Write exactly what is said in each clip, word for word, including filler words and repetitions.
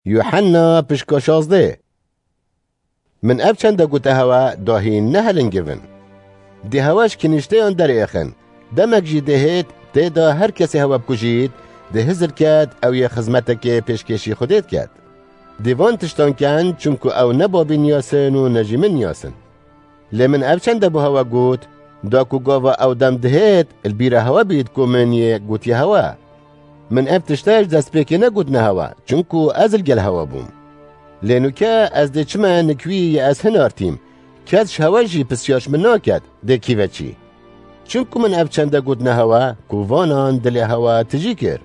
Yuhanna pişka şazdeh. Min ev çende gote hewe, da hîn nehelingivin. Dê hewe ji kinîşteyan derêxin. Demek jî dihêt, tê de her kesê hewe bikujît, dê hizir ket, ew yê xizmetekê pêşkêşî Xwedê diket. Dê van tiştan ken, çimku ew ne babî niyasin û ne jî min niyasin. Lê min ev çende bo hewe got, da ku gava ew dem dihêt, li bîra hewe bît ku min yê gotiye hewe. Min ev tişte ji destpêkê negotine hewe, çimku ez li gel hewe bûm. Lê nûke ez dê çime nik wî yê ez hinartîm, kes ji hewe jî pisyar ji min naket, dê kî ve çî. Çimku min ev çende gotine hewe, ku vanan dilê hewe tijî kir.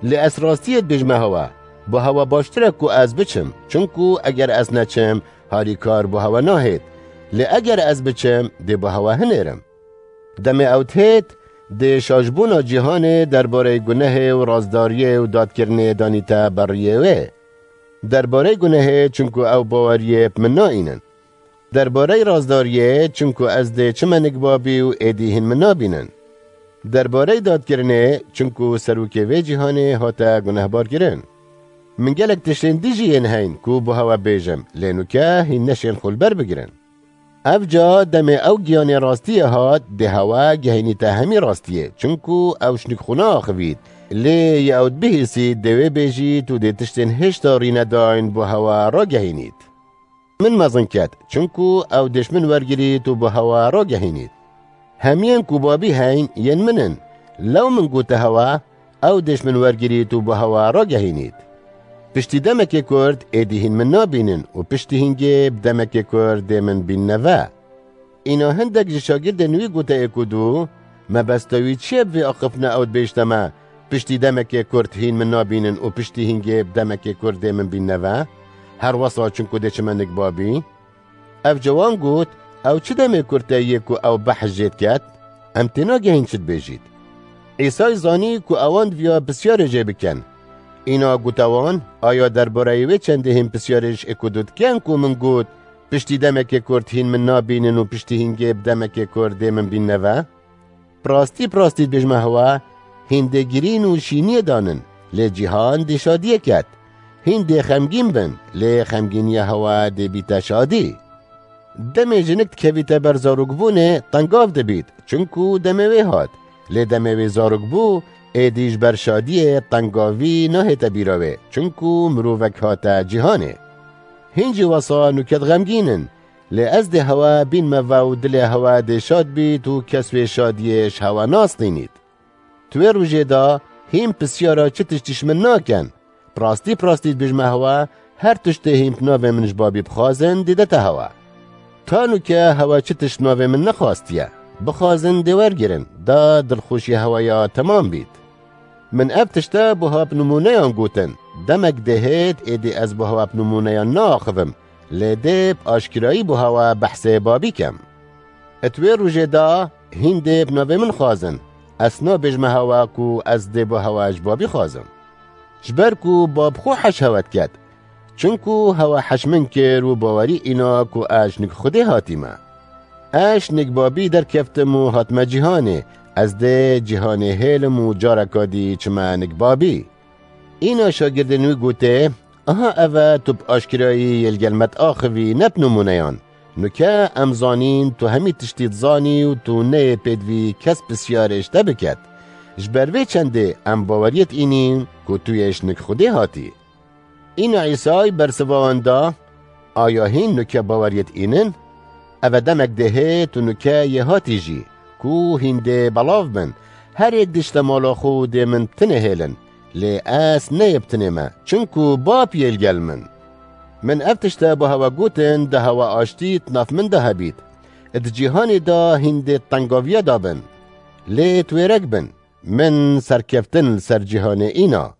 Lê ez rastiyê dibêjime hewe, bo hewe baştir e ku ez biçim, çimku eger ez neçim, harîkar bo hewe nahêt. Lê eger ez biçim, dê bo hewe hinêrim. Demê ew dihêt, dê şaşbûna cîhanê derbareyê gunehê û razdariyê û dadkirinê danîte ber rûyê wê. Derbareyê gunehê, çimku ew baweriyê bi min naînin. Derbareyê razdariyê, çimku ez dê çime nik babî û êdî hîn min nabînin. Derbareyê dadkirinê, çimku serokê vê cîhanê hate gunehbar kirin. Min gelek tiştên dî jî yên heyn ku bo hewe bêjim, lê nûke hîn neşên xwe li ber bigirin. Ev ca demê ew giyanê rastiyê hat, dê hewe gehînîte hemî rastiyê, çimku ew ji nik xwe naaxivît. Lê yê ew dibihîsît, dê wê bêjît û dê tiştên hêşta rînedayên bo hewe ragehînît. Min mezin ket, çimku ew dê ji min wergirît û bo hewe ragehînît. Hemiyên ku babî heyn yên min in. Lew min gote hewe, ew dê ji min wergirît û bo hewe ragehînît. Piştî demekê kurt êdî hîn min nabînin û piştî hîngê bi demekê kurt dê min bînine ve. Îna hindek ji şagirdên wî gote êk û du, mebesta wî çi ye bi vê axiftina ew dibêjte me, piştî demekê kurt hîn min nabînin û piştî hîngê bi demekê kurt dê min bînine ve? Her wesa çimku dê çime nik babî? Ev cawan got, ew çi demê kurt e yê ku ew behs jê diket? Em tênagehîn çi dibêjît. Îsay zanî ku ewan diviya pisyarê jê bikin. Îna gote wan, aya derbareyê wê çendê hîn pisyarê ji êk û du dikin ku min got, piştî demekê kurt hîn min nabînin û piştî hîngê bi demekê kurt dê min bînine ve? Bi rastî, bi rastî dibêjime hewe, hîn dê girîn û şîniyê danin, lê cîhan dê şadiyê ket. Hîn dê xemgîn bin, lê xemgîniya hewe dê bîte şadî. Demê jinik dikevîte ber zarokbûnê, tengav dibît, çimku demê wê hat. Lê demê wê zarok bû, êdî ji ber şadiyê tengavî nahête bîra wê, çimku mirovek hate cîhanê. Hîn jî wesa nûke dixemgînin, lê ez dê hewe bînime ve û dilê hewe dê şad bît û kes wê şadiyê ji hewe nastînît. Di wê rojê de hîn pisyara çi tiştî ji min nakin. Bi rastî, bi rastî dibêjime hewe, her tiştê hîn bi navê min ji babî bixwazin, dê dete hewe. Ta nûke hewe çi tişt bi navê min nexwastiye. Bixwazin dê wergirin, da dilxweşiya hewe ya temam bît. Min ev tişte buha bi nimûneyan gotin. Demek dê hêt êdî ez buha bi nimûneyan naaxivim, lê dê bi aşkirayî buha we behsê babî kem. Di wê rojê de hîn dê bi navê min xwazin. Ez nabêjime hewe ku ez dê buha we ji babî xwazim. Ji ber ku bab xwe heş hewe diket. Çinku hewe heş min kir û bawerî îna ku ez ji nik Xwedê hatîme. Ez ji nik babî derkeftim û hatime cîhanê. Ez dê cîhanê hêlim û careka dî çime nik babî. Îna şagirdên wî gotê, aha ev e tu bi aşkirayî yê li gel me diaxivî ne bi nimûneyan. Nûke em zanîn tu hemî tiştî dizanî û tu neyê pêdivî kes pisyarê ji te biket. Ji ber vê çendê em baweriyê diînîn ku tu yê ji nik Xwedê hatî. Îna Îsay bersiva wan da, aya hîn nûke baweriyê diînin? Ev e demek dê hê tu nûke yê hatî jî, ku hîn dê belav bin. Her yek dişte mala xwe û dê min tinê hêlin. Lê ez neyê bi tinê me, çinku Bab yê li gel min. Min ev tişte bi hewe gotin, da hewe aştî di nav min de hebît. Di cîhanê de hîn dê tengaviya da bin. Lê twêrek bin, min serkeftin li ser cîhanê îna.